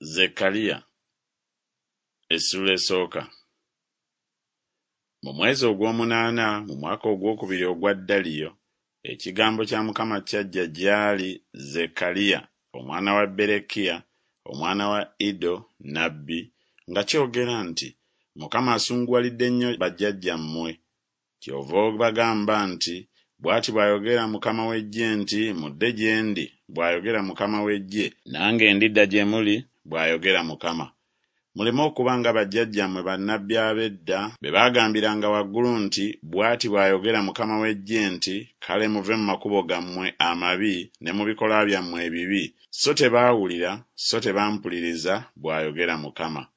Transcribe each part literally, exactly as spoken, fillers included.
Zekkaliya essuula esooka. Mu mwezi ogw'omunaana mu mwaka ogwokubiri ogwa Daliyo, ekigambo kya Mukama kyajja gy'ali Zekkaliya omwana wa Berekiya omwana wa Iddo nnabbi nga kyogera nti, Mukama asunguwalidde nnyo bajjajjammwe. Kyova obagamba nti, Bw'ati bw'ayogera Mukama w'eggye nti, Mudde gye ndi, bw'ayogera Mukama w'eggye, nange ndidda gye muli, bw'ayogera Mukama. Muleme okuba nga bajjajjammwe bannabbi ab'edda be baagambiranga waggulu nti, Bw'ati bw'ayogera Mukama w'eggye nti, Kale muve mu makubo gammwe amabi ne mu bikolwa byammwe ebibi, so tebaawulira, so tebampuliriza, bw'ayogera Mukama.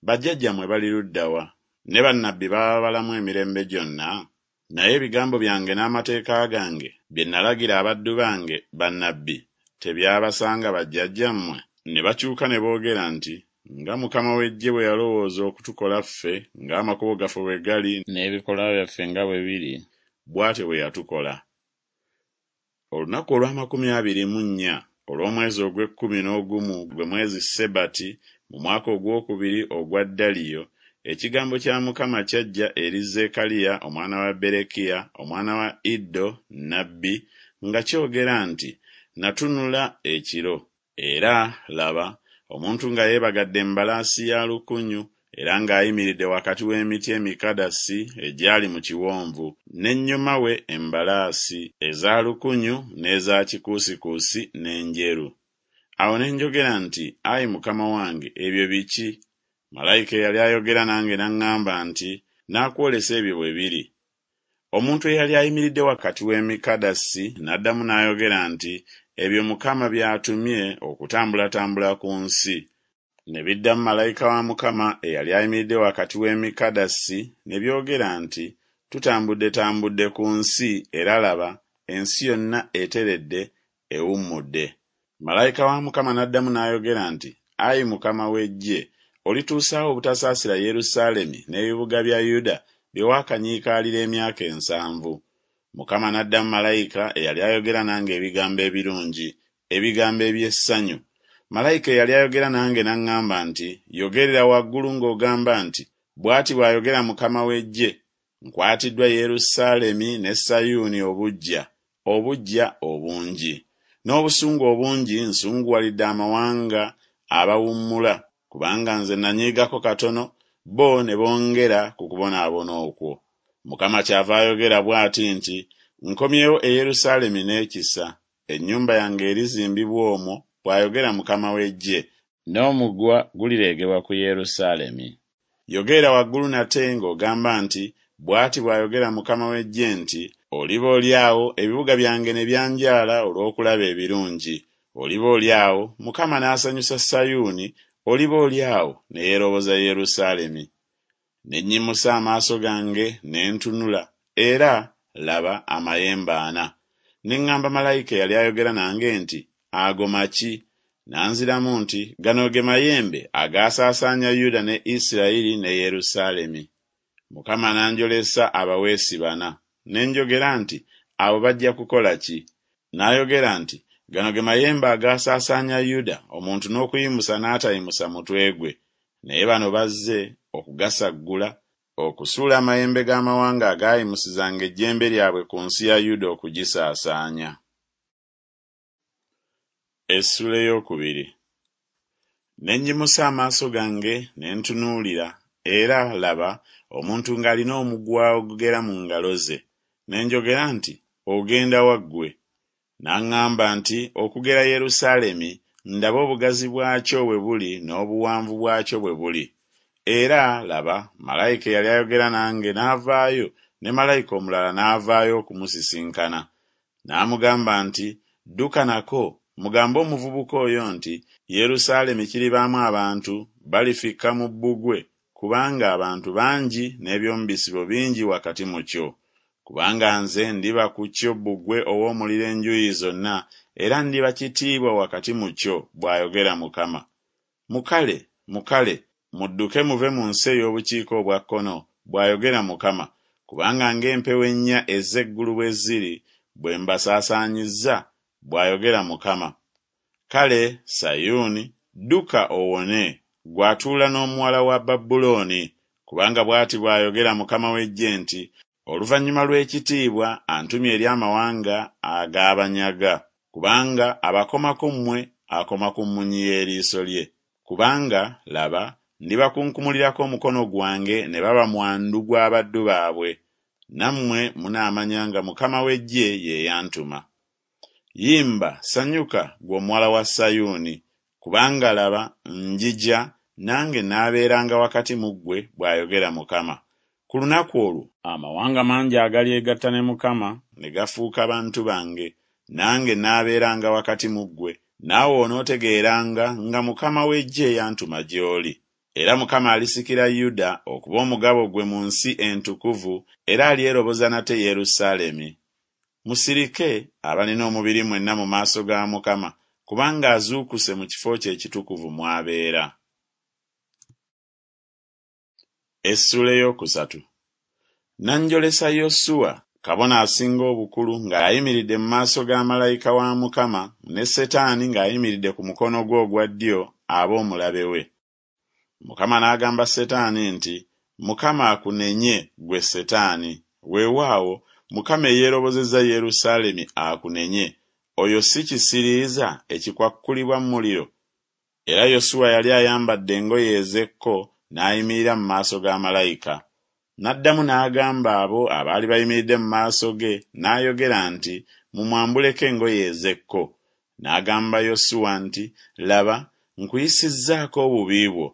Bajjajjammwe bali ludda wa? Ne bannabbi baba balamu emirembe gyonna? Naye ebigambo byange n'amateeka gange bye nalagira abaddu bange bannabbi tebyabasanga bajjajjammwe? Ne bakyuka ne boogera nti, Nga Mukama w'eggye bwe yalowooza okutukola ffe, ng'amakubo gaffe bwe gali n'ebikolwa byaffe nga bwe biri, bw'atyo bwe yatukola. Olunaku olw'amakumi abiri mu nnya olw'omwezi ogw'ekkumi n'ogumu gwe mwezi Sebati mu mwaka ogwokubiri ogwa Daliyo, ekigambo kya Mukama kyajja eri Zekkaliya omwana wa Berekiya omwana wa Iddo nnabbi nga kyogera nti, Natunula ekiro, era, laba, omuntu nga yeebagadde embalaasi ya lukunyu era ng'ayimiridde wakati w'emiti emikadasi egyali mu kiwonvu, n'ennyuma we embalaasi eza lukunyu n'eza kikuusikuusi n'enjeru. Awo ne njogera nti, Ayi Mukama wange, ebyo biki? Malayika eyali ayogera nange n'aŋŋamba nti, Naakwolesa ebyo bwe biri. Omuntu eyali ayimiridde wakati w'emikadasi n'addamu n'ayogera nti, Ebyo Mukama by'atumye okutambulatambula ku nsi. Ne biddamu malayika wa Mukama eyali ayimiridde wakati w'emikadasi ne byogera nti, Tutambuddetambudde ku nsi, era laba, ensi yonna eteredde, ewummudde. Malayika wa Mukama n'addamu n'ayogera nti, Ayi Mukama w'eggye, olituusa wa obutasaasira Yerusaalemi n'ebibuga bya Yuda bye waakanyiikaalira emyaka ensanvu? Mukama n'addamu malayika eyali ayogera nange ebigambo ebirungi, ebigambo eby'essanyu. Malayika eyali ayogera nange n'aŋŋamba nti, Yogerera waggulu ng'ogamba nti, Bw'ati bw'ayogera Mukama w'eggye, Nkwatiddwa Yerusaalemi ne Sayuuni obuggya, obuggya obungi. N'obusungu obungi nsunguwalidde amawanga abawummula, kubanga nze nanyiigako katono, bo ne bongera ku kubonaabona okwo. Mukama kyava ayogera bw'ati nti, Nkomyewo e Yerusaalemi n'ekisa, ennyumba yange erizimbibwa omwo, bw'ayogera Mukama w'eggye, n'omugwa gulireegebwa ku Yerusaalemi. Yogerera waggulu nate ng'ogamba nti, Bw'ati bw'ayogera Mukama w'eggye nti, Oliba oli awo ebibuga byange ne byanjaala olw'okulaba ebirungi, oliba oli awo Mukama n'asanyusa Sayuuni, oliba oli awo ne yeeroboza Yerusaalemi. Ne nnyimusa amaaso gange ne ntunula, era, laba, amayembe ana. Ne ŋŋamba malayika eyali ayogera nange nti, Ago maki? N'anziramu nti, Gano ge mayembe agaasaasaanya Yuda ne Isirayiri ne Yerusaalemi. Mukama n'anjolesa abaweesi bana. Ne njogera nti, Abo bajja kukola ki? N'ayogera nti, Gano ge mayembe agaasaasaanya Yuda, omuntu n'okuyimusa n'atayimusa mutwe gwe. Naye bano bazze okugasaggula, okusuula amayembe g'amawanga agaayimusizanga ejjembe lyabwe ku nsi ya Yuda okugisaasaanya. Essuula ey'okubiri. Ne nnyimusa amaaso gange ne ntunuulira, era, laba, omuntu ng'alina omuguwa ogugera mu ngalo ze. Ne njogera nti, Ogenda wa ggwe? N'aŋŋamba nti, Okugera Yerusaalemi, ndabe obugazi bwakyo bwe buli n'obuwanvu bwakyo bwe buli. Era, laba, malayika eyali ayogera nange n'avaayo, ne malayika omulala n'avaayo okumusisinkana. N'amugamba nti, Dduka nako, mugambe omuvubuka oyo nti, Yerusaalemi kiribaamu abantu, balifikka mu bbugwe, kubanga abantu bangi n'eby'omu bisibo bingi wakati mu kyo. Kubanga nze ndiba ku kyo bbugwe ow'omuliro enjuuyi zonna, era ndiba kitiibwa wakati mu kyo, bw'ayogera Mukama. Mukale, mukale, mudduke muve mu nsi ey'obukiika obwa kkono, bw'ayogera Mukama, kubanga ng'empewo ennya ez'eggulu bwe ziri, bwe mbasaasaanyizza, bw'ayogera Mukama. Kale Sayuuni, Dduka owone, ggwe atuula n'omuwala wa Babulooni, kubanga bw'ati bw'ayogera Mukama w'eggye nti, Oluvannyuma lw'ekitiibwa antumye eri amawanga ag'abanyaga, kubanga abakomako mmwe akoma ku mmunyi y'eriiso lye. Kubanga, laba, ndibakunkumulirako omukono gwange ne baba mwandu gw'abaddu baabwe, nammwe munaamanya nga Mukama w'eggye ye yantuma. Yimba, sanyuka, ggwe omuwala wa Sayuuni, kubanga laba, njija, nange naabeeranga wakati mu ggwe, bw'ayogera Mukama. Ku lunaku olwo amawanga mangi agalyegatta ne Mukama ne gafuuka bantu bange, nange naabeeranga wakati mu ggwe, naawe onootegeeranga nga Mukama w'eggye yantuma gy'oli. Era Mukama alisikira Yuda okuba omugabo gwe mu nsi entukuvu, era alyeroboza nate Yerusaalemi. Musirike abalina omubiri mwenna mu maaso ga Mukama, kubanga azuukuse mu kifo kye ekitukuvu mw'abeera. Essuula ey'okusatu. N'anjolesa Yosuwa, kabona asinga obukulu, ng'ayimiridde mu maaso ga malayika wa Mukama, ne Setaani ng'ayimiridde ku mukono gwe ogwa ddyo abe omulabe we. Mukama n'agamba Setaani nti, Mukama akunenye, ggwe Setaani, weewaawo Mukama eyeerobozezza Yerusaalemi akunenye, oyo si kisiriiza ekikwakkulibwa mu muliro? Era Yosuwa yali ayambadde engoye ez'ekko n'ayimirira mu maaso ga malayika. N'addamu n'agamba abo abaali bayimiridde mu maaso ge, n'ayogera nti, Mumwambuleko engoye ez'ekko. N'agamba Yosuwa nti, Laba, nkuyisizzaako obubi bwo,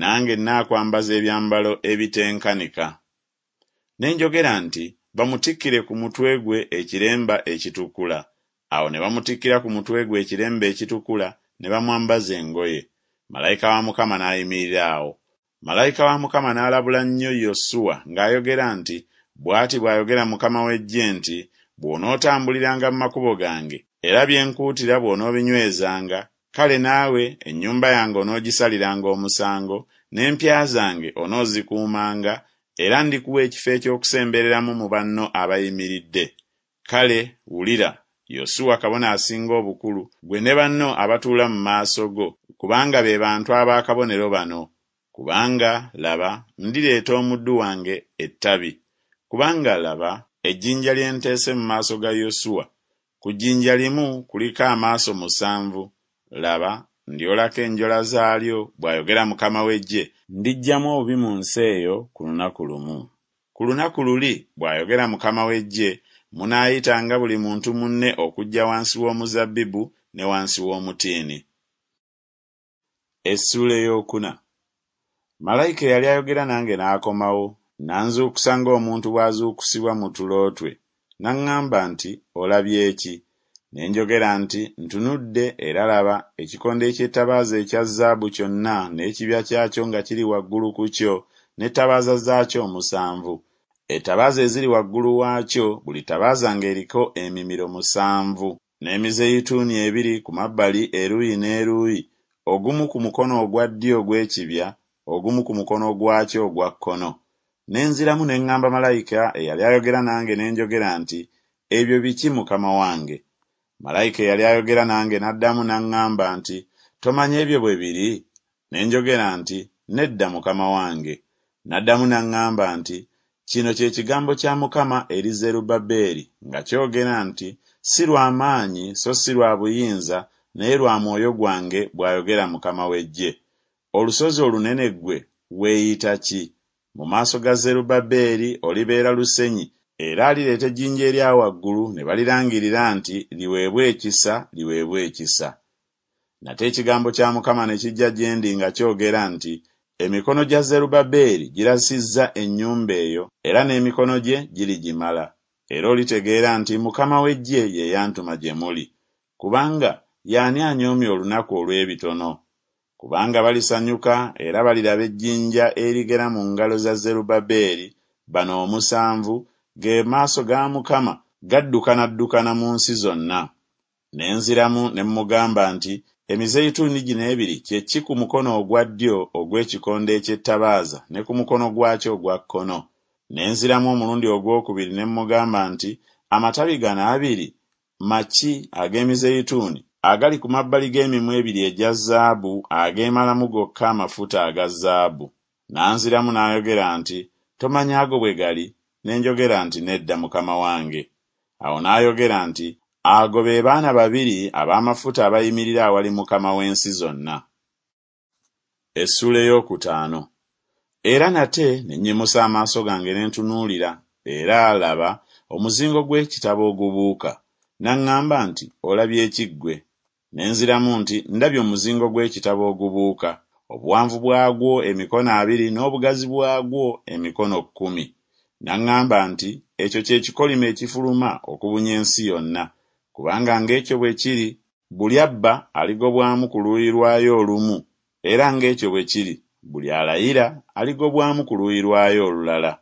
nange nnaakwambaza ebyambalo ebitenkanika. Ne njogera nti, Bamutikkire ku mutwe gwe ekiremba ekitukula. Awo ne bamutikkira ku mutwe gwe ekiremba ekitukula, ne bamwambaza engoye. Malayika wa Mukama n'ayimirira awo. Malayika wa Mukama n'alabula nnyo Yosuwa ng'ayogera nti, Bw'ati bw'ayogera Mukama w'eggye nti, Bw'onootambuliranga mu makubo gange, era bye nkuutira bw'onoobinywezanga, kale naawe ennyumba yange onoogisaliranga omusango, n'empya zange onoozikuumanga, era ndikuwa ekifo eky'okusembereramu mu banno abayimiridde. Kale wulira, Yosuwa kabona asinga obukulu, ggwe ne banno abatuula mu maaso go, kubanga be bantu ab'akabonero bano. Kubanga, laba, ndireeta omuddu wange ettabi. Kubanga, laba, ejjinja lye nteese mu maaso ga Yosuwa, ku jjinja limu kuliko amaaso musanvu. Laba, ndyolako enjola zaalyo, bw'ayogera Mukama w'eggye, ndiggyamu obubi mu nsi eyo ku lunaku lumu. Ku lunaku luli, bw'ayogera Mukama w'eggye, munaayitanga buli muntu munne okujja wansi w'omuzabbibu ne wansi w'omutiini. Essuula ey'okuna. Malayika eyali ayogera nange n'akomawo, n'anzuukusa ng'omuntu bw'azuukusibwa mu tulo twe. N'aŋŋamba nti, Olabye ki? Ne njogera nti, Ntunudde, era laba, ekikondo eky'ettabaaza ekya zaabu kyonna n'ekibya kyakyo nga kiri waggulu ku kyo, n'ettabaaza zaakyo omusanvu. Ettabaaza eziri waggulu waakyo, buli ttabaaza ng'eriko emimiro musanvu, n'emizeyituuni ebiri ku mabbali eruuyi n'eruuyi, ogumu ku mukono ogwa ddyo ogw'ekibya, ogumu ku mukono gwakyo ogwa kkono. Ne nziramu ne ŋŋamba malayika eyali ayogera nange ne njogera nti, Ebyo biki Mukama wange? Malayika eyali ayogera nange n'addamu n'aŋŋamba nti, Tomanyi ebyo bwe biri? Ne njogera nti, Nedda Mukama wange. N'addamu n'aŋŋamba nti, Kino kye kigambo kya Mukama eri Zerubbaberi nga kyogera nti, Si lwa maanyi so si lwa buyinza, naye lwa mwoyo gwange, bw'ayogera Mukama w'eggye. Olusozi olunene ggwe weeyita ki? Mu maaso ga Zerubbaberi olibeera lusenyi, era alireeta ejjinja erya waggulu ne balirangirira nti, Liweebwe ekisa, liweebwe ekisa. Nate ekigambo kya Mukama ne kijja gye ndi nga kyogera nti, Emikono gya Zerubbaberi girasizza ennyumba eyo, era n'emikono gye girigimala. Era olitegeera nti Mukama w'eggye ye yantuma gye muli. Kubanga y'ani anyoomye olunaku olw'ebitono? Kubanga balisanyuka era baliraba ejjinja erigera mu ngalo za Zerubbaberi, bano omusanvu, ge maaso ga Mukama gaddukanaddukana mu nsi zonna. Ne nziramu ne mmugamba nti, Emizeyituuni gino ebiri kye ki ku mukono ogwa ddyo ogw'ekikondo eky'ettabaaza ne ku mukono gwakyo ogwa kkono? Ne nziramu omulundi ogwokubiri ne mmugamba nti, Amatabi gano abiri maki ag'emizeyituuni agali ku mabbali g'emimwa ebiri egya zaabu ageemalamu gokka amafuta aga zaabu. N'anziramu n'ayogera nti, Tomanyi ago bwe gali? Ne njogera nti, Nedda, Mukama wange. Awo n'ayogera nti, Ago be baana babiri ab'amafuta abayimirira awali Mukama w'ensi zonna. Essuula ey'okutaano. Era nate ne nnyimusa amaaso gange ne ntunuulira, era, laba, omuzingo gw'ekitabo ogubuuka. N'aŋŋamba nti, Olabye ki ggwe? Ne nziramu nti, Ndabye omuzingo gw'ekitabo ogubuuka, obuwanvu bwagwo emikono abiri n'obugazi bwagwo emikono kkumi. N'aŋŋamba nti, Ekyo kye kikolimo ekifuluma okubunya ensi yonna, kubanga ng'ekyo bwe kiri, buli abba aligobwamu ku luuyi lwayo olumu, era ng'ekyo bwe kiri, buli alayira aligobwamu ku luuyi lwayo olulala.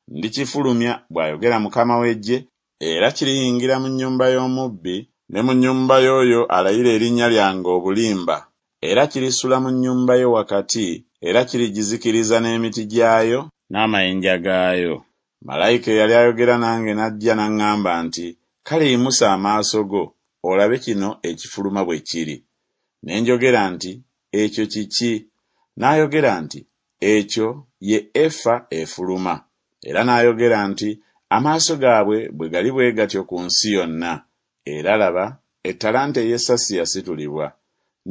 Ndikifulumya, bw'ayogera Mukama w'eggye, era kiriyingira mu nnyumba y'omubbi ne mu nnyumba y'oyo alayira erinnya lyange obulimba, era kirisula mu nnyumba ye wakati, era kirigizikiriza n'emiti gyayo n'amayinja gaayo. Malayika eyali ayogera nange n'ajja n'aŋŋamba nti, Kale yimusa amaaso go, olabe kino ekifuluma bwe kiri. Ne njogera nti, Ekyo kiki? N'ayogera nti, Ekyo ye efa efuluma. Era n'ayogera nti, Amaaso gaabwe bwe gali bwe gatyo ku nsi yonna, era, laba, ettalanta ey'essasi yasitulibwa,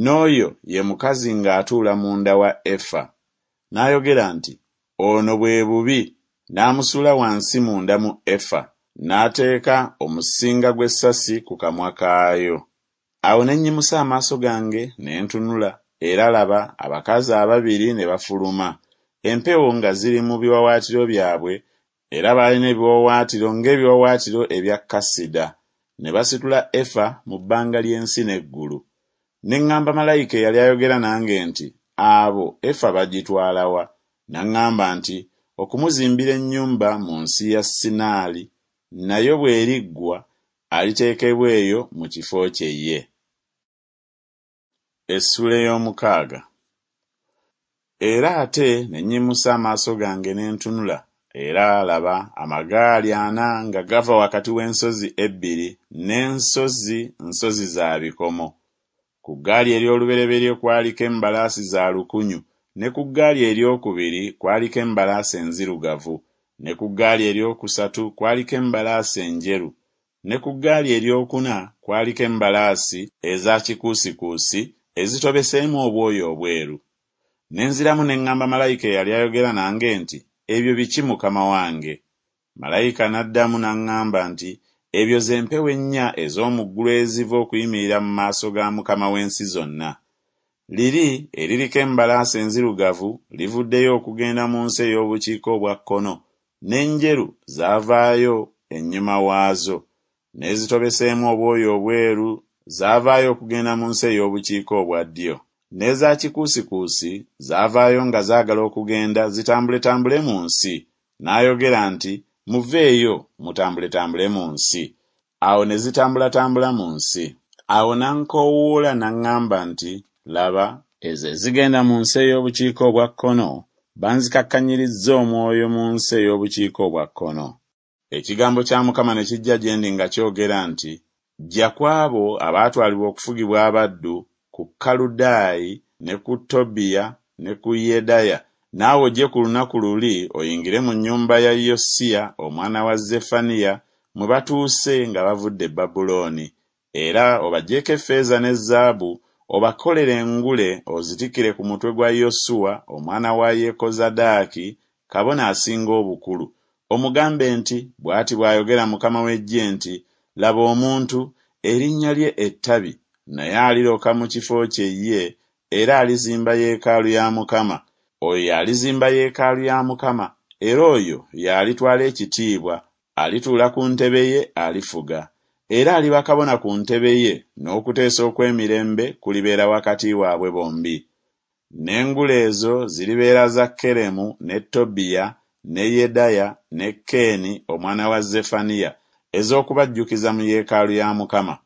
n'oyo ye mukazi ng'atuula munda wa efa. N'ayogera nti, Ono bwe bubi, n'amusuula wansi munda mu efa, n'ateeka omusinga gw'essasi ku kamwa kaayo. Awo ne nnyimusa amaaso gange ne ntunula, era, laba, abakazi ababiri ne bafuluma, empewo nga ziri mu biwaawaatiro byabwe, era baalina ebiwaawaatiro ng'ebiwaawaatiro ebya kasida, ne basitula efa mu bbanga ly'ensi n'eggulu. Ne ŋŋamba malayika eyali ayogera nange nti, Abo efa bagitwala wa? N'aŋŋamba nti, Okumuzimbira ennyumba mu nsi ya Sinaali, nayo bw'eriggwa aliteekebwa eyo mu kifo kye ye. Essuula ey'omukaaga. Era ate ne nnyimusa amaaso gange ne ntunula, era, laba, amagaali ana nga gava wakati w'ensozi ebbiri, n'ensozi nsozi za bikomo. Ku ggaali ery'olubereberye kwaliko embalaasi za lukunyu, ne ku ggaali ery'okubiri kwaliko embalaasi enzirugavu, ne ku ggaali eryokusatu kwaliko embalaasi enjeru, ne ku ggaali eryokuna kwaliko embalaasi eza kikuusikuusi ezitobeseemu obwoya obweru. Ne nziramu ne ŋŋamba malayika eyali ayogera nange nti, Ebyo biki Mukama wange? Malayika n'addamu n'aŋŋamba nti, Ebyo ze mpewo ennya ez'omu ggulu eziva okuyimirira mu maaso ga Mukama w'ensi zonna. Liri eririko embalaasi enzirugavu livuddeyo okugenda mu nsi ey'obukiika obwa kkono, n'enjeru zaavaayo ennyuma waazo, n'ezitobeseemu obwoya obweru zaavaayo okugenda mu nsi ey'obukiika obwa ddyo. N'eza kikuusikuusi zaavaayo nga zaagala okugenda zitambuletambule mu nsi. N'ayogera nti, Muveeyo, mutambuletambule mu nsi. Awo ne zitambulatambula mu nsi. Awo n'ankoowoola n'aŋŋamba nti, Laba, ezo ezigenda mu nsi ey'obukiika obwa kkono banzikakkanyirizza omwoyo mu nsi ey'obukiika obwa kkono. Ekigambo kya Mukama ne kijja gye ndi nga kyogera nti, Ggya ku abo abaatwalibwa okufugibwa abaddu, ku Kaludaayi ne ku Tobiya ne ku Yedaya, naawe ojje ku lunaku luli oyingire mu nnyumba ya Yosiya omwana wa Zeffaniya mwe batuuse nga bavudde e Babulooni, era obaggyeko effeeza ne zaabu, obakolere engule ozitikkire ku mutwe gwa Yosuwa omwana wa Yekozadaaki kabona asinga obukulu, omugambe nti Bw'ati bw'ayogera Mukama w'eggye nti Laba omuntu, erinnya lye Ettabi, naye aliroka mu kifo kye ye, era alizimba yeekaalu ya Mukama. Oyo y'alizimba yeekaalu ya Mukama, era oyo y'alitwala ekitiibwa, alituula ku ntebe ye alifuga. Era aliba kabona ku ntebe ye, n'okuteesa okw'emirembe kulibeera wakati waabwe bombi. N'engule ezo ziribeera za Keremu ne Tobiya ne Yedaya ne Keeni omwana wa Zeffaniya ez'okubajjukiza mu yeekaalu ya Mukama.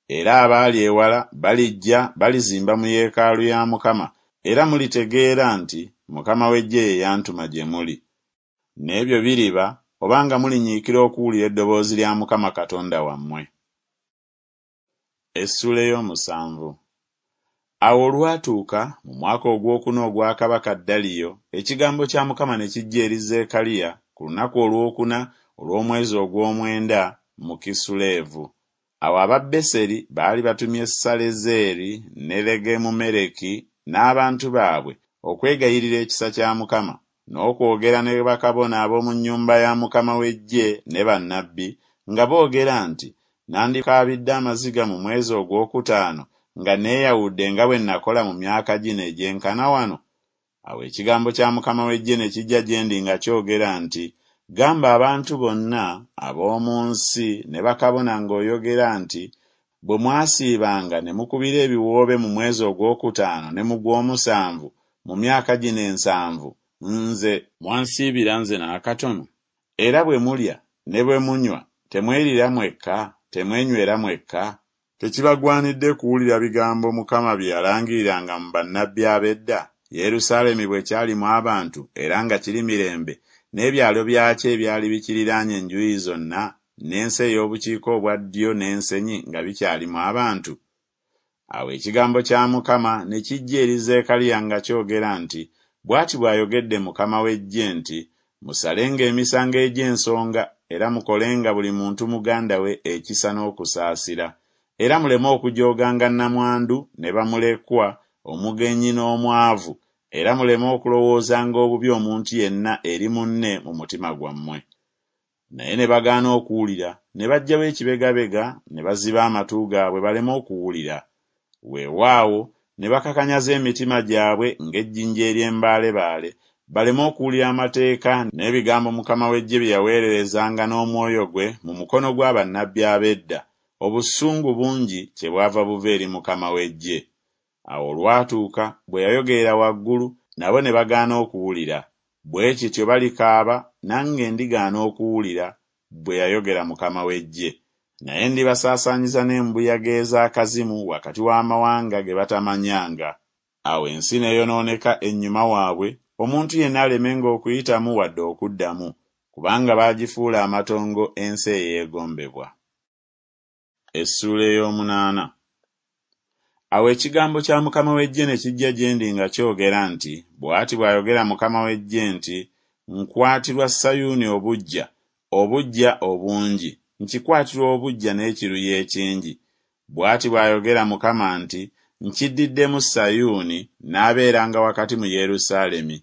Era abaali ewala balijja balizimba mu yeekaalu ya Mukama, era mulitegeera nti Mukama w'eggye ye yantuma gye muli. N'ebyo biriba obanga mulinyiikira okuwulira eddoboozi lya Mukama Katonda wammwe. Essuula ey'omusanvu. Awo olwatuuka mu mwaka ogwokuna ogwa kabaka Daliyo, ekigambo kya Mukama ne kijja eri Zekkaliya ku lunaku olwokuna olw'omwezi ogw'omwenda mu Kisuleevu. Awo aba Beseri baali batumye Salezeeri ne Legemumereki n'abantu baabwe okwegayirira ekisa kya Mukama n'okwogera ne bakabona ab'omu nnyumba ya Mukama w'eggye ne bannabbi nga boogera nti, Nandikaabidde amaziga mu mwezi ogwokutaano nga neeyawudde nga bwe nakola mu myaka gino egyenkana wano? Awo ekigambo kya Mukama w'eggye ne kijja gye ndi nga kyogera nti, Gamba abantu bonna ab'omu nsi ne bakabona ng'oyogera nti, Bwe mwasiibanga ne mukubira ebiwoobe mu mwezi ogwokutaano ne mu gw'omusanvu mu myaka gino ensanvu, nze mwansiibira nze n'akatono? Era bwe mulya ne bwe munywa temweriira mwekka, temwenywera mwekka? Tekibagwanidde kuwulira bigambo Mukama bye yalangiriranga mu bannabbi ab'edda, Yerusaalemi bwe kyalimu abantu era nga kiri mirembe, n'ebyalo byakyo ebyali bikiriraanye enjuyi zonna, n'ensi ey'obukiika obwa ddyo n'ensenyi nga bikyalimu abantu? Awo ekigambo kya Mukama ne kijja eri Zekkaliya nga kyogera nti, Bw'ati bw'ayogedde Mukama w'eggye nti, Musalenga emisango egy'ensonga era mukolenga buli muntu muganda we ekisa n'okusaasira, era muleme okujooganga nnamwandu ne bamulekwa, omugenyi n'omwavu, era muleme okulowoozanga obubi omuntu yenna eri munne mu mutima gwammwe. Naye ne bagaana okuwulira, ne baggyawo ekibegabega ne baziba amatu gaabwe baleme okuwulira. Weewaawo ne bakakanyaza emitima gyabwe ng'ejjinja ery'embaalebaale, baleme okuwulira amateeka n'ebigambo Mukama w'eggye bye yaweererezanga n'omwoyo gwe mu mukono gwa bannabbi ab'edda, obusungu bungi kyebwava buva eri Mukama w'eggye. Awo olwatuuka bwe yayogerera waggulu, nabo ne bagaana okuwulira. Bwe kityo balikaaba, nange ndigaana okuwulira, bwe yayogera Mukama w'eggye. Naye ndibasaasaanyiza n'embuyaga ez'akazimu wakati w'amawanga ge batamanyanga. Awo ensi n'eyonooneka ennyuma waabwe, omuntu yenna alemenga okuyitamu wadde okuddamu, kubanga baagifuula amatongo ensi eyeegombebwa. Essuula ey'omunaana. Awo ekigambo kya Mukama w'eggye ne kijja gye ndi nga kyogera nti, Bw'ati bw'ayogera Mukama w'eggye nti, Nkwatirwa Sayuuni obuggya, obuggya obungi, nkikwatirwa obuggya n'ekiruyi ekingi. Bw'ati bw'ayogera Mukama nti, Nkiddiddemu Sayuuni, n'abeeranga wakati mu Yerusaalemi.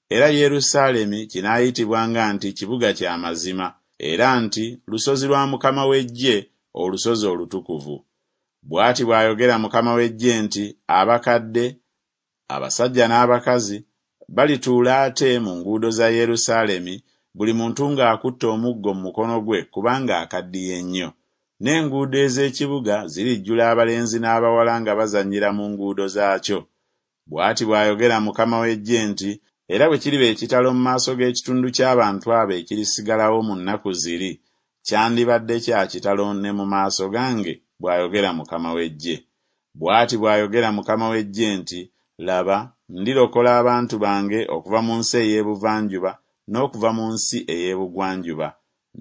Era Yerusaalemi kinaayitibwanga nti kibuga kya mazima, era nti lusozi lwa Mukama w'eggye, olusozi olutukuvu. Bw'ati bw'ayogera Mukama w'eggye nti, Abakadde, abasajja n'abakazi, balituula ate mu nguudo za Yerusaalemi, buli muntu ng'akutte omuggo mu mukono gwe kubanga akaddiye nnyo. N'enguudo ez'ekibuga zirijjula abalenzi n'abawala nga bazannyira mu nguudo zaakyo. Bw'ati bw'ayogera Mukama w'eggye nti, Era bwe kiriba ekitalo mu maaso g'ekitundu ky'abantu abo ekirisigalawo mu nnaku ziri, kyandibadde kya kitalo ne mu maaso gange, bw'ayogera Mukama w'eggye. Bw'ati bw'ayogera Mukama w'eggye nti, Laba, ndirokola abantu bange okuva mu nsi ey'ebuvanjuba n'okuva mu nsi ey'ebugwanjuba.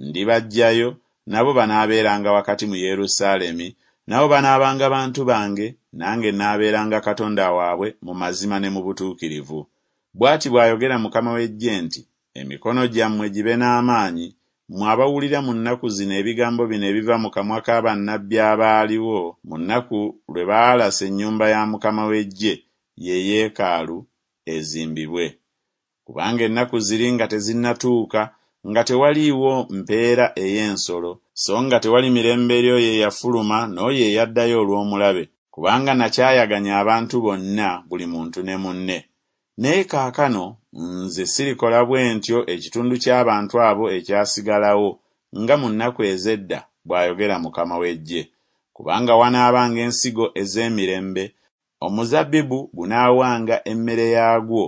Ndibaggyayo, nabo banaabeeranga wakati mu Yerusaalemi, nabo banaabanga bantu bange, nange naabeeranga Katonda waabwe mu mazima ne mu butuukirivu. Bw'ati bw'ayogera Mukama w'eggye nti, Emikono gyammwe gibe n'amaanyi, mmwe abawulira mu nnaku zino ebigambo bino ebiva mu kamwa ka bannabbi abaaliwo mu nnaku lwe baalasa ennyumba ya Mukama w'eggye, ye yeekaalu, ezimbibwe. Kubanga ennaku ziri nga tezinnatuuka, nga tewaliiwo mpeera ey'ensolo, so nga tewali mirembe eri oyo eyafuluma n'oyo eyaddayo olw'omulabe, kubanga nakyayaganya abantu bonna, buli muntu ne munne. Naye kaakano nze sirikola bwe ntyo ekitundu ky'abantu abo ekyasigalawo nga mu nnaku ez'edda, bw'ayogera Mukama w'eggye. Kubanga wanaabanga ensigo ez'emirembe, omuzabbibu gunaawanga emmere yaagwo,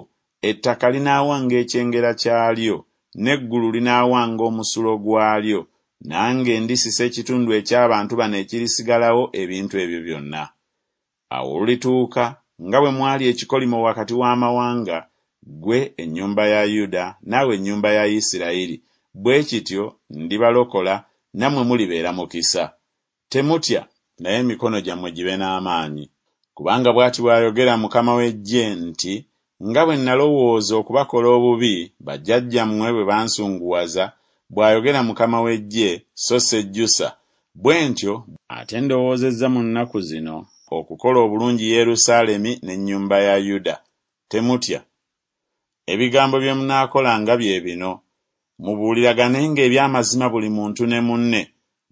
ettaka linaawanga ekyengera kyalyo, n'eggulu linaawanga omusulo gwalyo, nange ndisisa ekitundu eky'abantu bano ekirisigalawo ebintu ebyo byonna. Awo olulituuka nga bwe mwali ekikolimo wakati w'amawanga, ggwe ennyumba ya Yuda naawe ennyumba ya Isirayiri, bwe kityo ndibalokola, nammwe mulibeera mukisa. Temutya, naye emikono gyammwe gibe n'amaanyi. Kubanga bw'ati bw'ayogera Mukama w'eggye nti, Nga bwe nalowooza okubakola obubi, bajjajjammwe bwe bansunguwaza, bw'ayogera Mukama w'eggye, so sejjusa, bwe ntyo ate ndowoozezza mu nnaku zino okukola obulungi Yerusaalemi n'ennyumba ya Yuda. Temutya. Ebigambo bye munaakolanga bye bino, Mubuuliraganenga eby'amazima buli muntu ne munne,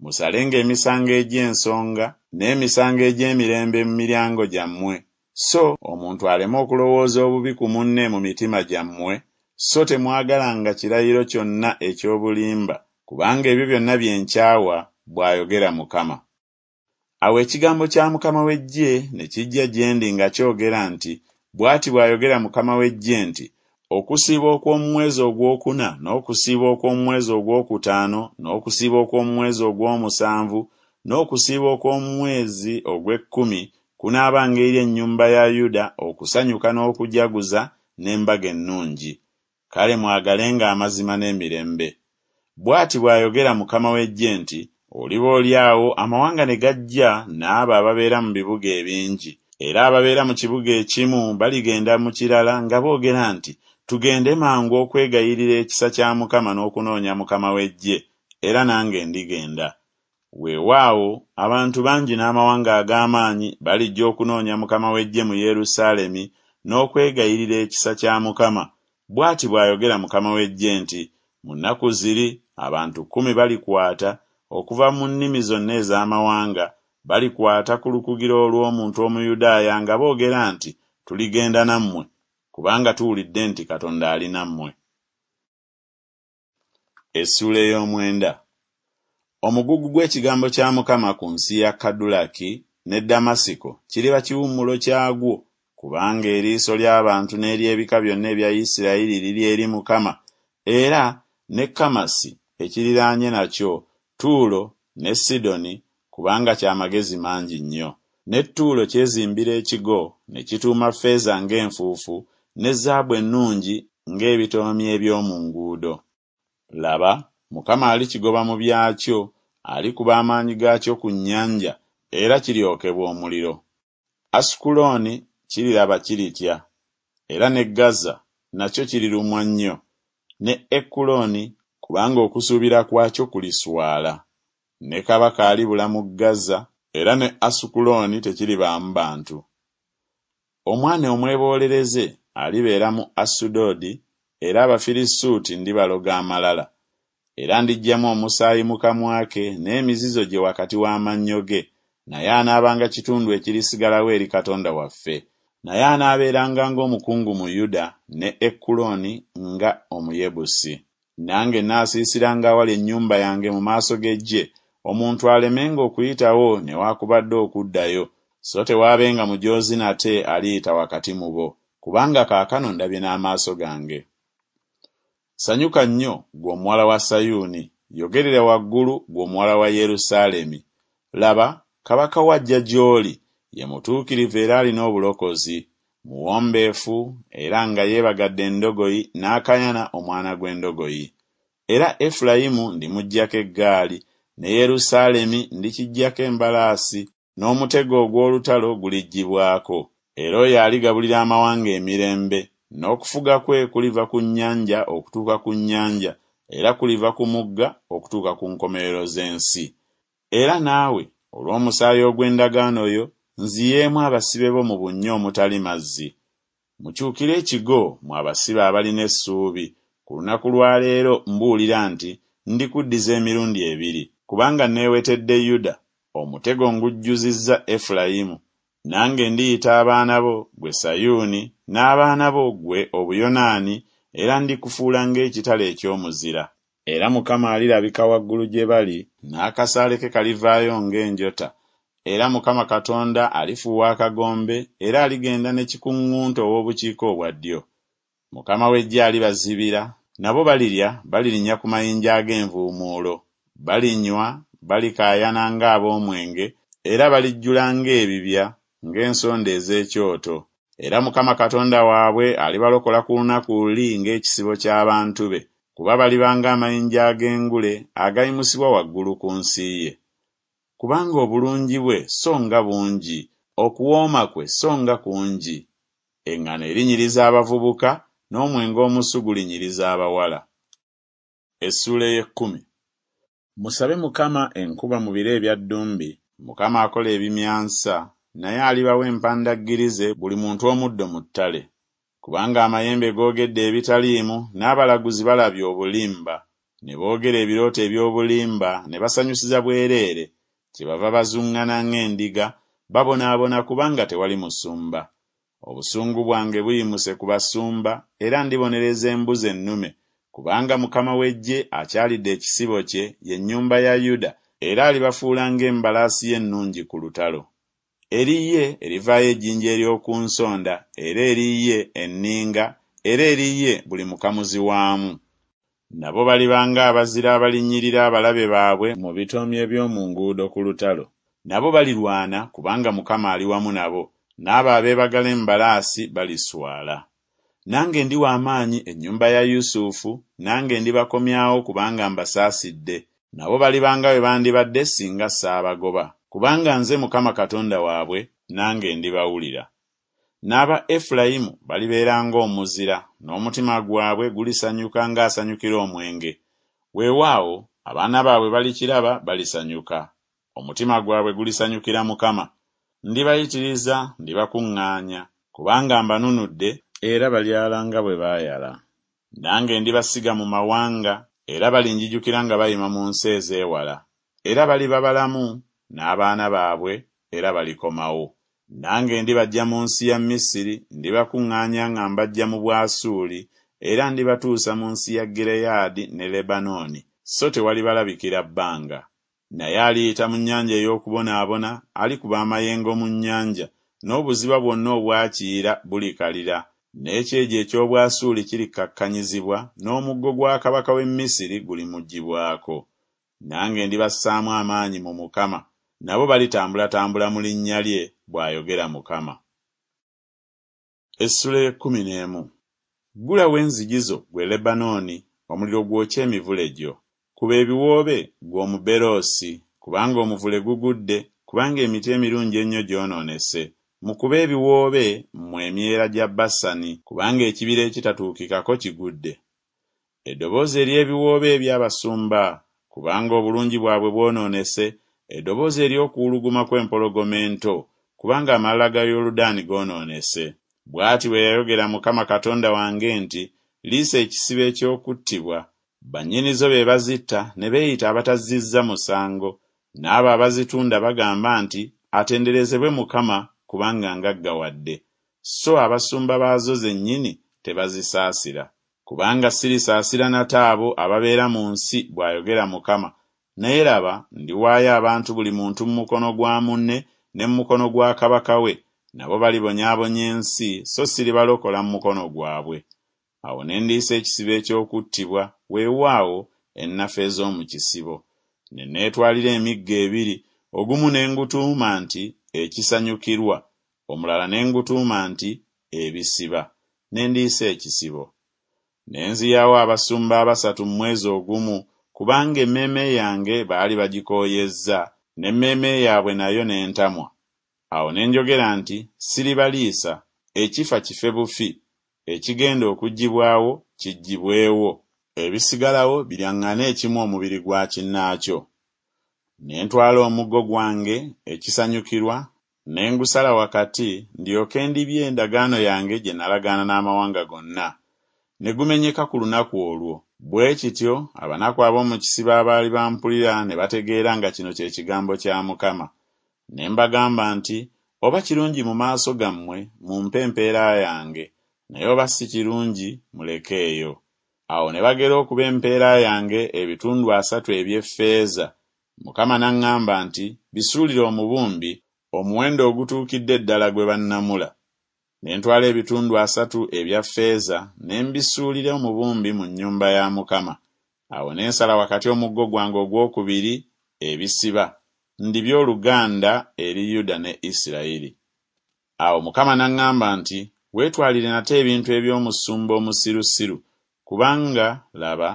musalenga emisango egy'ensonga n'emisango egy'emirembe mu miryango gyammwe, so omuntu aleme okulowooza obubi ku munne mu mitima gyammwe, so temwagalanga kirayiro kyonna eky'obulimba, kubanga ebyo byonna bye nkyawa, bw'ayogera Mukama. Awo ekigambo kya Mukama w'eggye ne kijja gye ndi nga kyogera nti Bw'ati bw'ayogera Mukama w'eggye nti Okusiiba okw'omu mwezi ogw'okuna n'okusiiba okw'omu mwezi ogw'okutaano n'okusiiba okw'omu mwezi ogw'omusanvu n'okusiiba okw'omu mwezi ogw'ekkumi kunaabanga eri ennyumba ya Yuda okusanyuka n'okujaguza n'embaga ennungi. Kale mwagalenga amazima n'emirembe. Bw'ati bw'ayogera Mukama w'eggye nti Oliboolyawo amawanga ne gajja n'abo ababeera mu bibuga ebingi, era ababeera mu kibuga ekimu baligenda mu kirala nga boogera nti Tugende mangu okwegayirira ekisa kya Mukama n'okunoonya Mukama w'eggye, era nange ndigenda. Weewaawo, abantu bangi n'amawanga ag'amaanyi balijja okunoonya Mukama w'eggye mu Yerusaalemi n'okwegayirira ekisa kya Mukama. Bw'ati bw'ayogera Mukama w'eggye nti Mu nnaku ziri abantu kkumi balikwata okuva mu nnimi zonna ez'amawanga, balikwata ku lukugiro olw'omuntu Omuyudaaya nga boogera nti Tuligenda nammwe, kubanga tuwulidde nti Katonda ali nammwe. Essuula ey'omwenda. Omugugu gw'ekigambo kya Mukama ku nsi ya Kadulaki ne Ddamasiko kiriba kiwummulo kyagwo, kubanga eriiso ly'abantu n'ery'ebika byonna ebya Isirayiri liri eri Mukama, era ne Kamasi ekiriraanye nakyo, Ttuulo ne Sidoni, kubanga kya magezi mangi nnyo. Ne Ttuulo kyezimbira ekigo, ne kituuma ffeeza ng'enfuufu, ne zaabu ennungi ng'ebitoomi eby'omu nguudo. Laba, Mukama alikigoba mu byakyo, alikuba amaanyi gaakyo ku nnyanja, era kiryokebwa omuliro. Asukulooni kiriraba kiritya, era ne Gaza nakyo kirirumwa nnyo, ne Ekulooni, kubanga okusuubira kwakyo kuliswala. Ne kabaka alibula mu Gaza, era ne Asukulooni tekiribaamu bantu. Omwana omweboolereze alibeera mu Asudodi, era Abafirisuuti ndibaloga amalala. Era ndiggyamu omusaayi mu kamwa ke n'emizizo gye wakati w'amannyo ge, naye anaabanga kitundu ekirisigalawo eri Katonda waffe, naye anaabeeranga ng'omukungu mu Yuda ne Ekulooni nga Omuyebusi. Nange naasiisiranga awali ennyumba yange mu maaso g'eggye, omuntu alemenga okuyitawo newakubadde okuddayo, so tewaabenga mujoozi nate aliyita wakati mu bo, kubanga kaakano ndabye n'amaaso gange. Sanyuka nnyo, ggwe omuwala wa Sayuuni, yogerera waggulu, ggwe omuwala wa Yerusaalemi. Laba, kabaka wo ajja gy'oli, ye mutuukirivu era alina obulokozi, muwombeefu era nga yeebagadde endogoyi n'akayana omwana gw'endogoyi. Era Efulayimu ndimuggyako eggaali, ne Yerusaalemi ndikiggyako embalaasi, n'omutego ogw'olutalo guliggyibwako. Era oyo aligabulira amawanga emirembe, n'okufuga kwe kuliva ku nnyanja okutuuka ku nnyanja, era kuliva ku mugga okutuuka ku nkomerero z'ensi. Era naawe, olw'omusaayi ogw'endagaano yo, nziyeemu abasibe bo mu bunnya omutali mazzi. Mukyukire ekigo, mmwe abasibe abalina essuubi, ku lunaku lwa leero mbuulira nti ndikuddiza emirundi ebiri. Kubanga neewetedde Yuda, omutego ngujjuzizza Efulayimu, nange ndiyita abaana bo, ggwe Sayuuni, n'abaana bo ggwe Obuyonaani, era ndikufuula ng'ekitala eky'omuzira. Era Mukama alirabika waggulu gye bali, n'akasaale ke kalivaayo ng'enjota, era Mukama Katonda alifuuwa akagombe, era aligenda ne kikuŋŋunta ow'obukiika obwa ddyo. Mukama w'eggye alibazibira, nabo balirya, balirinnya ku mayinja ag'envuumuulo, balinywa, balikaayana ng'ab'omwenge, era balijjula ng'ebibya, ng'ensonda ez'ekyoto. Era Mukama Katonda waabwe alibalokola ku lunaku luli ng'ekisibo ky'abantu be, kuba baliba ng'amayinja ag'engule agayimusibwa waggulu ku nsi ye. Kubanga obulungi bwe so nga bungi, okuwooma kwe so nga kungi! Eŋŋano erinyiriza abavubuka, n'omwenge omusu gulinyiriza abawala. Essuula ey'ekkumi. Musabe Mukama enkuba mu biro ebya ddumbi, Mukama akola ebimyansa, naye alibawa empandaggirize buli muntu omuddo mu ttale. Kubanga amayembe googedde ebitaliimu, n'abalaguzi balabye obulimba, ne boogera ebirooto eby'obulimba, ne basanyusiza bwereere, kyebava bazuŋŋana ng'endiga, babonaabona kubanga tewali musumba. Obusungu bwange buyimuse ku basumba, era ndibonereza embuzi ennume, kubanga Mukama w'eggye akyalidde ekisibo kye, ye nnyumba ya Yuda, era alibafuula ng'embalaasi ye ennungi ku lutalo. Eri ye erivaayo ejjinja ery'oku nsonda, era eri ye enninga, era eri ye buli mukamuzi waamu. Nabo baliba ng'abazira abalinnyirira abalabe baabwe mu bitoomi eby'omu nguudo ku lutalo. Nabo balirwana kubanga Mukama ali wamu nabo, n'abo abeebagala embalaasi baliswala. Nange ndiwa amaanyi ennyumba ya Yusufu, nange ndibakomyawo kubanga mbasaasidde, nabo baliba nga bwe bandibadde singa saabagoba. Kubanga nze Mukama Katonda waabwe, nange ndibawulira. N'aba Efulayimu balibeera ng'omuzira, n'omutima gwabwe gulisanyuka ng'asanyukira omwenge. Weewaawo abaana baabwe balikiraba balisanyuka. Omutima gwabwe gulisanyukira Mukama. Ndibayitiriza, ndibakuŋŋaanya, kubanga mbanunudde, era balyala nga bwe baayala. Nange ndibasiga mu mawanga, era balinjijukira nga bayima mu nsi ez'ewala. Era baliba balamu n'abaana baabwe, era balikomawo. Nange ndibaggya mu nsi ya Misiri, ndibakuŋŋaanya nga mbaggya mu Bwasuuli, era ndibatuusa mu nsi ya Gireyaadi ne Lebanooni, so tewalibalabikira bbanga. Naye aliyita mu nnyanja ey'okubonaabona, alikuba amayengo mu nnyanja, n'obuziba bwonna obwa Kiyira bulikalira, n'ekyejo eky'Obwasuuli kirikkakkanyizibwa, n'omuggo gwa kabaka w'e Misiri gulimuggyibwako. Nange ndibassaamu amaanyi mu Mukama, nabo balitambulatambula mu linnya lye, bw'ayogera Mukama. Essuula y'ekkumi n'emu. Ggulawo enzigi zo, ggwe Lebanooni, omuliro gwokye emivule gyo. Kuba ebiwoobe, ggwe Omuberoosi, kubanga omuvule gugudde, kubanga emiti emirungi ennyo gyonoonese. Mukube ebiwoobe, mmwe emyera gya Basani, kubanga ekibira ekitatuukikako kigudde. Eddoboozi ery'ebiwoobe eby'abasumba, kubanga obulungi bwabwe bwonoonese, eddoboozi ery'okuwuluguma kw'empologoma ento, kubanga amalala ga Yoludaani goonoonese. Bw'ati bwe yayogera Mukama Katonda wange nti, Liisa ekisibo eky'okuttibwa, bannyinizo be bazitta ne beeyita abatazzizza musango, n'abo abazitunda bagamba nti, Atenderezebwe Mukama, kubanga ngaggawadde. So abasumba baazo zennyini tebazisaasira. Kubanga sirisaasira nate abo ababeera mu nsi, bw'ayogera Mukama. Naye laba, ndiwaayo abantu buli muntu mu mukono gwa munne ne mu mukono gwa kabaka we, nabo balibonyaabonya ensi, so siribalokola mu mukono gwabwe. Awo ne ndiisa ekisibo eky'okuttibwa, weewaawo ennafu ez'omu kisibo. Ne neetwalira emiggo ebiri, ogumu ne ngutuuma nti Ekisanyukirwa, omulala ne ngutuuma nti Ebisiba, ne ndiisa ekisibo. Ne nziyawo abasumba abasatu mu mwezi ogumu, kubanga emmeeme yange baali bagikooyezza, n'emmeeme yaabwe nayo n'entamwa. Awo ne njogera nti, Siribaliisa, ekifa kife bufi, ekigenda okuggyibwawo kiggyibwewo, ebisigalawo biryaŋŋane ekimu omubiri gwa kinnaakyo. Ne ntwala omuggo gwange, ekisanyukirwa, ne ngusala wakati, ndyoke ndibye endagaano yange gye nalagaana n'amawanga gonna. Ne gumenyeka ku lunaku olwo. Bwe kityo abanaku ab'omu kisibo abaali bampulira ne bategeera nga kino kye kigambo kya Mukama. Ne mbagamba nti, Oba kirungi mu maaso gammwe, mumpe empeera yange, naye oba si kirungi, mulekeeyo. Awo ne bagera okuba empeera yange ebitundu asatu eby'effeeza. Mukama n'aŋŋamba nti, Bisuulire omubumbi, omuwendo ogutuukidde ddala gwe bannamula. Ne ntwala ebitundu asatu ebya ffeeza ne mbisuulira omubumbi mu nnyumba ya Mukama. Awo ne nsala wakati omuggo gwange ogwokubiri, ebisiba, ndibye oluganda eri Yuda ne Isirayiri. Awo Mukama n'aŋŋamba nti, Weetwalire nate ebintu eby'omusumba omusirusiru, kubanga, laba,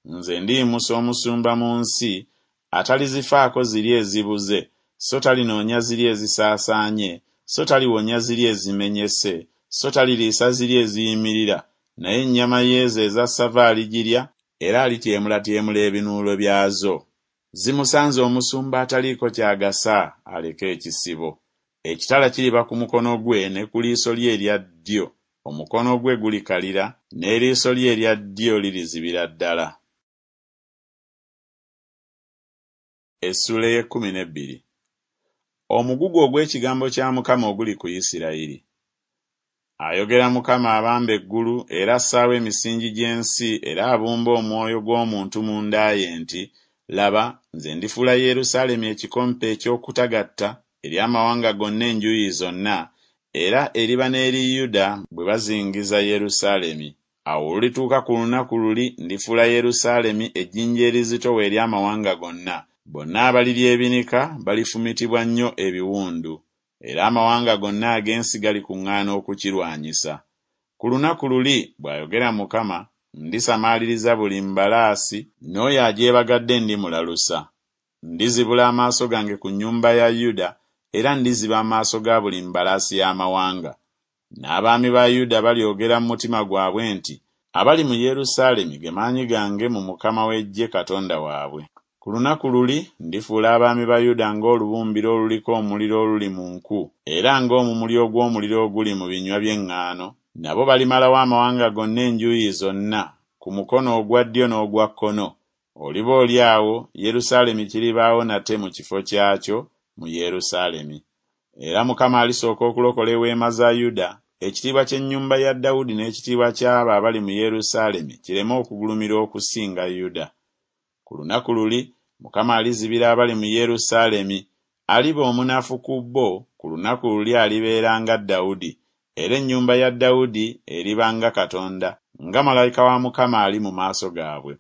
nze ndiyimusa omusumba mu nsi, Atalizifaako ziri ezibuze, so talinoonya ziri ezisaasaanye, so taliwonya ziri ezimenyese, so taliriisa ziri eziyimirira, naye ennyama y'ezo eza ssava aligirya, era alityemulatyemula ebinuulo byazo. Zimusanze omusumba ataliiko ky'agasa aleke ekisibo. Ekitala kiriba ku mukono gwe ne ku liiso lye erya ddyo, omukono gwe gulikalira, n'eriiso lye erya ddyo lirizibira ddala. Essuula ey'ekkumi n'ebbiri. Omugugu ogw'ekigambo kya Mukama oguli ku Isirayiri. Ayogera Mukama abamba eggulu era assaawo emisingi gy'ensi era abumba omwoyo gw'omuntu munda ye nti, Laba, nze ndifuula Yerusaalemi ekikompe eky'okutagatta eri amawanga gonna enjuyi zonna, era eriba n'eri Yuda bwe bazingiza Yerusaalemi. Awo olulituuka ku lunaku luli ndifuula Yerusaalemi ejjinja erizitowa eri amawanga gonna. Bonna abaliryebinika balifumitibwa nnyo ebiwundu, era amawanga gonna ag'ensi galikuŋŋaana okukirwanyisa. Ku lunaku luli, bw'ayogera Mukama, ndisamaaliriza buli mbalaasi, n'oyo agyebagadde ndimulalusa. Ndizibula amaaso gange ku nnyumba ya Yuda, era ndiziba amaaso ga buli mbalaasi y'amawanga. N'abaami ba Yuda balyogera mu mutima gwabwe nti, Abali mu Yerusaalemi ge maanyi gange mu Mukama w'eggye Katonda waabwe. Ku lunaku luli ndifuula abaami ba Yuda ng'olubumbiro oluliko omuliro oluli mu nku, era ng'omumuli ogw'omuliro oguli mu binywa by'eŋŋaano, nabo balimalawo amawanga gonna enjuuyi zonna, ku mukono ogwa ddyo n'ogwa kkono. Oliba oli awo Yerusaalemi kiribaawo nate mu kifo kyakyo mu Yerusaalemi. Era Mukama alisooka okulokola eweema za Yuda, ekitiibwa ky'ennyumba ya Dawudi n'ekitiibwa ky'abo abali mu Yerusaalemi kireme okugulumira okusinga Yuda. Ku lunaku luli Mukama alizibira abali mu Yerusaalemi, aliba omunafu ku bo, ku lunaku luli alibeera nga Dawudi, era ennyumba ya Dawudi eriba nga Katonda, nga malayika wa Mukama ali mu maaso gaabwe.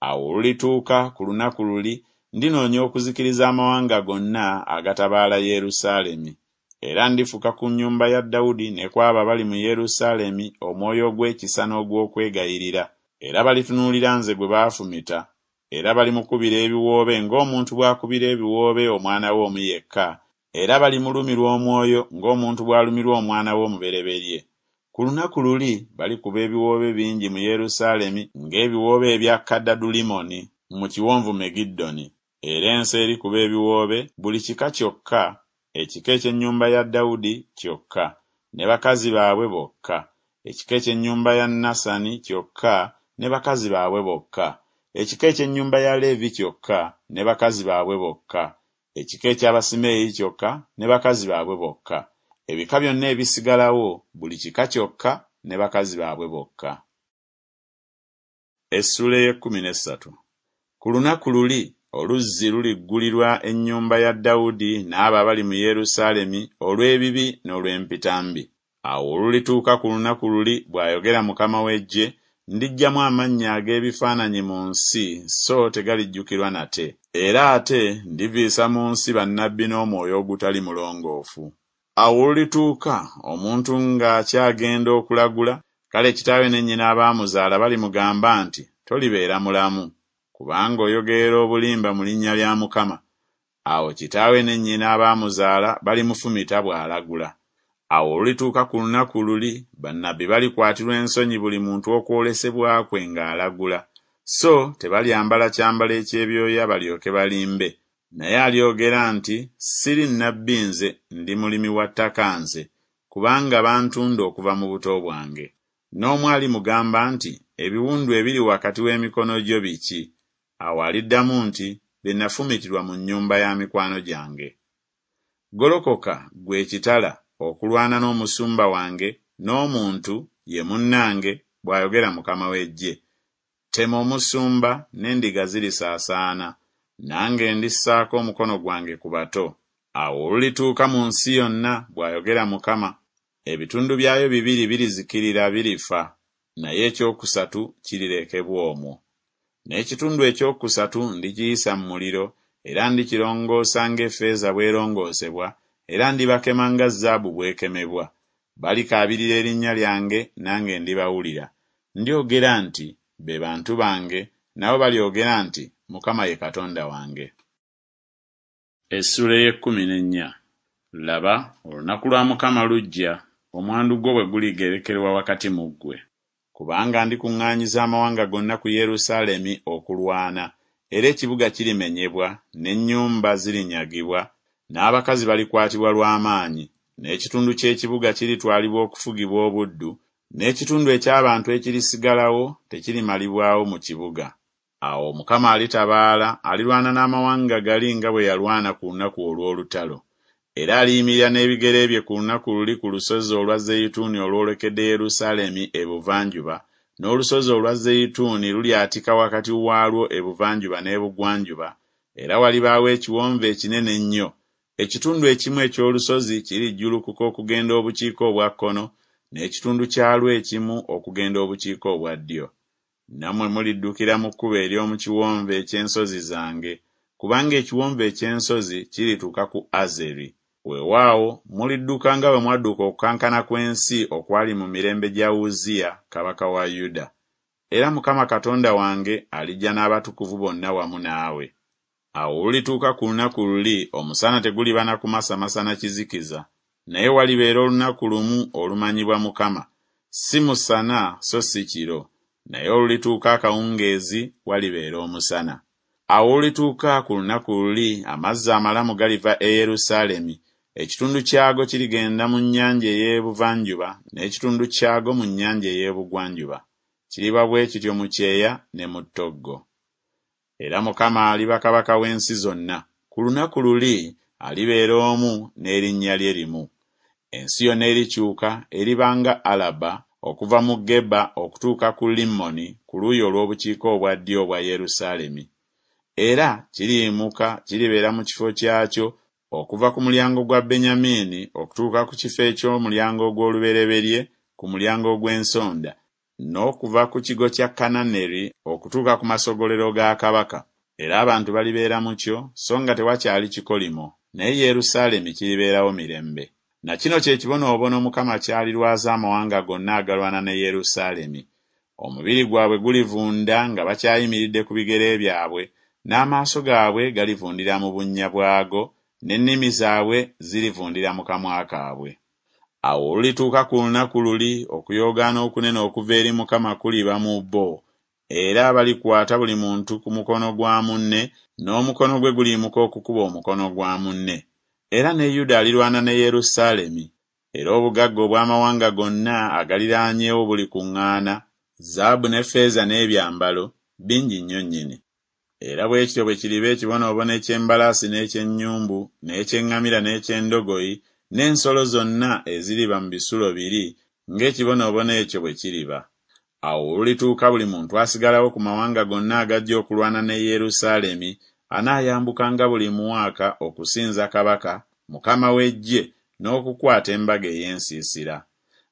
Awo olulituuka ku lunaku luli ndinoonya okuzikiriza amawanga gonna agatabaala Yerusaalemi. Era ndifuka ku nnyumba ya Dawudi ne ku abo abali mu Yerusaalemi omwoyo ogw'ekisa n'ogw'okwegayirira, era balitunuulira nze gwe baafumita, era balimukubira ebiwoobe ng'omuntu bw'akubira ebiwoobe omwana we omu yekka, era balimulumirwa omwoyo ng'omuntu bw'alumirwa omwana we omubereberye. Ku lunaku luli balikuba ebiwoobe bingi mu Yerusaalemi ng'ebiwoobe ebya Kadadulimoni mu kiwonvu Megiddoni. Era ensi erikuba ebiwoobe buli kika kyokka, ekika eky'ennyumba ya Dawudi kyokka, ne bakazi baabwe bokka, ekika eky'ennyumba ya Nasani kyokka, ne bakazi baabwe bokka, ekika eky'ennyumba ya Leevi kyokka, ne bakazi baabwe bokka, ekika eky'Abasimeeyi kyokka, ne bakazi baabwe bokka, ebika byonna ebisigalawo buli kika kyokka, ne bakazi baabwe bokka. Essuula ey'ekkumi n'essatu. Ku lunaku luli oluzzi luliggulirwa ennyumba ya Dawudi n'abo abali mu Yerusaalemi olw'ebibi n'olw'empitambi. Awo olulituuka ku lunaku luli, bw'ayogera Mukama w'eggye, ndiggyamu amannya ag'ebifaananyi mu nsi, so tegalijjukirwa nate. Era ate ndiviisa mu nsi bannabbi n'omwoyo ogutali mulongoofu. Awo olulituuka omuntu ng'akyagenda okulagula, kale kitaawe ne nnyina abaamuzaala balimugamba nti, Tolibeera mulamu, kubanga oyogerera obulimba mu linnya lya Mukama. Awo kitaawe ne nnyina abaamuzaala balimufumita bw'alagula. Awo olulituuka ku lunaku luli bannabbi balikwatirwa ensonyi buli muntu okwolesebwa kwe ng'alagula, so tebalyambala kyambalo eky'ebyoya balyoke balimbe. Naye alyogera nti, Siri nnabbi nze, ndi mulimi wa ttaka nze, kubanga bantunda okuva mu buto bwange. N'omu alimugamba nti, Ebiwundu ebiri wakati w'emikono gyo biki? Awo aliddamu nti, Bye nafumitirwa mu nnyumba ya mikwano gyange. Golokoka, ggwe ekitala, okulwana n'omusumba wange, n'omuntu, ye munnange, bw'ayogera Mukama w'eggye. Tema omusumba, n'endiga zirisaasaana, nange ndissaako omukono gwange ku bato. Awo olulituuka mu nsi yonna, bw'ayogera Mukama, ebitundu byayo bibiri birizikirira birifa, naye ekyokusatu kirirekebwa omwo. N'ekitundu ekyokusatu ndikiyisa mu muliro, era ndikirongoosa ng'effeeza bw'erongoosebwa, era ndibakema nga zaabu bw'ekemebwa. Balikaabirira erinnya lyange, nange ndibawulira. Ndyogera nti, Be bantu bange, nabo balyogera nti, Mukama ye Katonda wange. Essuula ey'ekkumi n'ennya. Laba, olunaku lwa Mukama lujja, omwandu gwo bwe guligerekerwa wakati mu ggwe. Kubanga ndikuŋŋaanyiza amawanga gonna ku Yerusaalemi okulwana, era ekibuga kirimenyebwa, n'ennyumba zirinyagibwa, n'abakazi balikwatibwa lw'amaanyi, n'ekitundu ky'ekibuga kiritwalibwa okufugibwa obuddu, n'ekitundu eky'abantu ekirisigalawo tekirimalibwawo mu kibuga. Awo Mukama alitabaala, alirwana n'amawanga gali nga bwe yalwana ku lunaku olw'olutalo. Era aliyimirira n'ebigere bye ku lunaku luli ku lusozi olwa Zeyituuni olwolekedde Yerusaalemi ebuvanjuba, n'olusozi olwa Zeyituuni lulyatika wakati waalwo ebuvanjuba n'ebugwanjuba, era walibaawo ekiwonvu ekinene ennyo. Ekitundu ekimu eky'olusozi kirijjulukuka okugenda obukiika obwa kkono, n'ekitundu kyalwo ekimu okugenda obukiika obwa ddyo. Nammwe muliddukira mu kkubo ery'omu kiwonvu eky'ensozi zange, kubanga ekiwonvu eky'ensozi kirituuka ku Azeri. Weewaawo mulidduka nga bwe mwadduka okukankana kw'ensi okwali mu mirembe gya Uzziya kabaka wa Yuda. Era Mukama Katonda wange alijja n'abatukuvu bonna wamu naawe. Awo olulituuka ku lunaku luli omusana teguliba na kumasamasa na kizikiza, naye walibeera olunaku lumu olumanyibwa Mukama, si musana so si kiro, naye olulituuka akawungeezi walibeera omusana. Awo olulituuka ku lunaku luli amazzi amalamu galiva e Yerusaalemi, ekitundu kyago kirigenda mu nnyanja ey'ebuvanjuba n'ekitundu kyago mu nnyanja ey'ebugwanjuba. Kiriba bwe kityo mu kyeya ne mu ttoggo. Era Mukama aliba kabaka w'ensi zonna. Ku lunaku luli alibeera omu n'erinnya lye limu. Ensi yonna erikyuka eriba nga Alaba, okuva mu Geba okutuuka ku Limmoni ku luuyi olw'obukiika obwa ddyo obwa Yerusaalemi. Era kiriyimuka kiribeera mu kifo kyakyo okuva ku mulyango gwa Benyamini okutuuka ku kifo eky'omulyango ogw'olubereberye ku mulyango ogw'ensonda, n'okuva ku kigo kya Kananeri okutuuka ku masogolero ga kabaka. Era abantu balibeera mu kyo, so nga tewakyali kikolimo, naye Yerusaalemi kiribeerawo mirembe. Na kino kye kibonoobono Mukama ky'alirwaza amawanga gonna agalwana ne Yerusaalemi. Omubiri gwabwe gulivunda nga bakyayimiridde ku bigere byabwe, n'amaaso gaabwe galivundira mu bunnya bwago, n'ennimi zaabwe zirivundira mu kamwa kaabwe. Awo olulituuka ku lunaku luli okuyoogaana okunene okuva eri Mukama kuliba mu bo, era balikwata buli muntu ku mukono gwa munne, n'omukono gwe guliyimuka okukuba omukono gwa munne. Era ne Yuda alirwana ne Yerusaalemi. Era obugagga obw'amawanga gonna agaliraanyeewo bulikuŋŋaana, zaabu ne ffeeza n'ebyambalo, bingi nnyo nnyini. Era bwe kityo bwe kiriba ekibonoobono eky'embalaasi n'eky'ennyumbu, n'eky'eŋŋamira n'eky'endogoyi, n'ensolo zonna eziriba mu bisulo biri, ng'ekibonoobono ekyo bwe kiriba. Awo olulituuka buli muntu asigalawo ku mawanga gonna agajja okulwana ne Yerusaalemi anaayambukanga buli mwaka okusinza kabaka, Mukama w'eggye, n'okukwata embaga ey'ensiisira.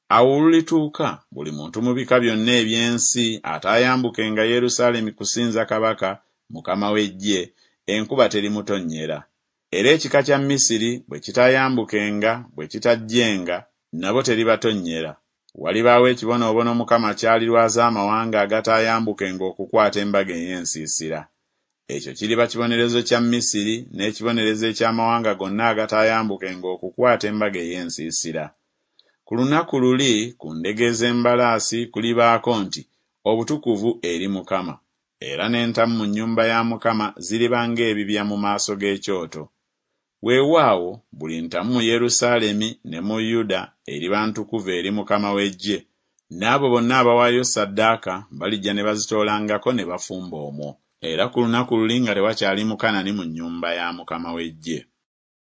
Awo olulituuka buli muntu mu bika byonna eby'ensi ataayambukenga Yerusaalemi kusinza kabaka, Mukama w'eggye, enkuba terimutonnyera. Era ekika kya Misiri bwe kitaayambukenga, bwe kitajjenga, nabo teribatonnyera. Walibaawo ekibonoobono Mukama ky'alirwaza amawanga agataayambukenga okukwata embaga ey'ensiisira. Ekyo kiriba kibonerezo kya Misiri n'ekibonerezo eky'amawanga gonna agataayambukenga okukwata embaga ey'ensiisira. Ku lunaku luli ku ndege ez'embalaasi kulibaako nti, Obutukuvu eri Mukama. Era n'entamu mu nnyumba ya Mukama ziriba ng'ebibya mu maaso g'ekyoto. Weewaawo buli ntamu mu Yerusaalemi ne mu Yuda eriba ntukuvu eri Mukama w'eggye, n'abo bonna abawaayo ssaddaaka balijja ne bazitoolangako ne bafumba omwo. Era ku lunaku luli nga tewakyali Mukanani mu nnyumba ya Mukama w'eggye.